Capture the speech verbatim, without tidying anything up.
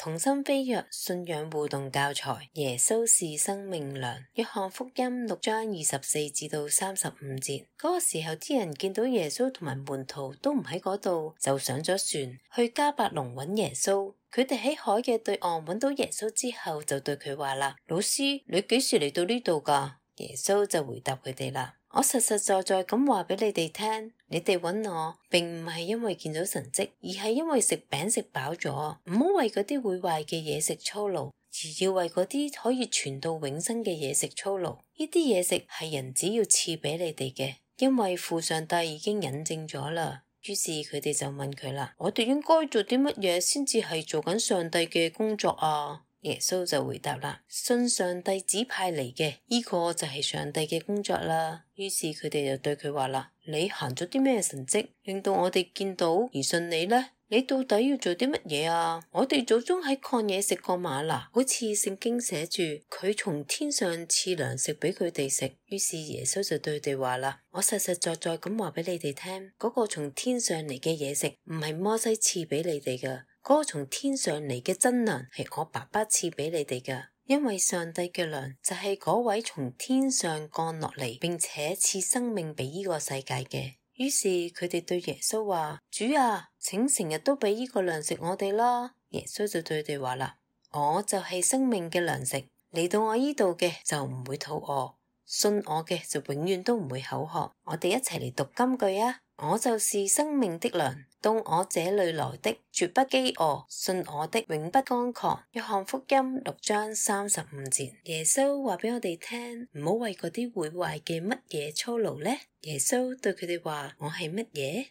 同心飛躍信仰互動教材，耶穌是生命糧。約翰福音六章二十四至到三十五節。嗰個時候啲人見到耶穌同埋門徒都唔喺嗰度，就上咗船去迦百農揾耶穌。佢哋喺海嘅對岸揾到耶穌之後，就對佢話啦：老師，你幾時嚟到呢度噶？耶穌就回答佢哋啦：我實實在在咁話俾你哋聽，你哋揾我並唔係因為見到神蹟，而係因為食餅食飽咗。唔好為嗰啲會壞嘅嘢食操勞，而要為嗰啲可以傳到永生嘅嘢食操勞。呢啲嘢食係人只要賜俾你哋嘅，因為父上帝已經引證咗啦。於是佢哋就問佢啦：我哋應該做啲乜嘢先至係做緊上帝嘅工作啊？耶穌就回答啦：信上帝指派嚟嘅，呢個就係上帝嘅工作啦。於是佢哋就對佢話啦：你行咗啲咩神蹟，令到我哋見到而信你呢？你到底要做啲乜嘢啊？我哋祖宗喺曠野食過嗎哪，好似聖經寫住佢從天上賜糧食俾佢哋食。於是耶穌就對佢哋話啦：我實實在在咁話俾你哋聽，嗰個從天上嚟嘅嘢食唔係摩西賜俾你哋噶，嗰個從天上嚟嘅真糧係我爸爸賜俾你哋噶。因為上帝嘅糧就係嗰位從天上降落嚟，並且賜生命俾呢個世界嘅。於是佢哋對耶穌話：主啊，請成日都俾呢個糧食我哋啦。耶穌就對佢哋話啦：我就係生命嘅糧食，嚟到我呢度嘅就唔會肚餓，信我嘅就永遠都唔會口渴。我哋一齊嚟讀金句啊！我就是生命的糧，到我這裏來的絕不飢餓，信我的永不乾渴。約翰福音六章三十五節。耶穌話俾我哋聽，唔好為嗰啲會壞嘅乜嘢操勞呢？耶穌對佢哋話：我係乜嘢？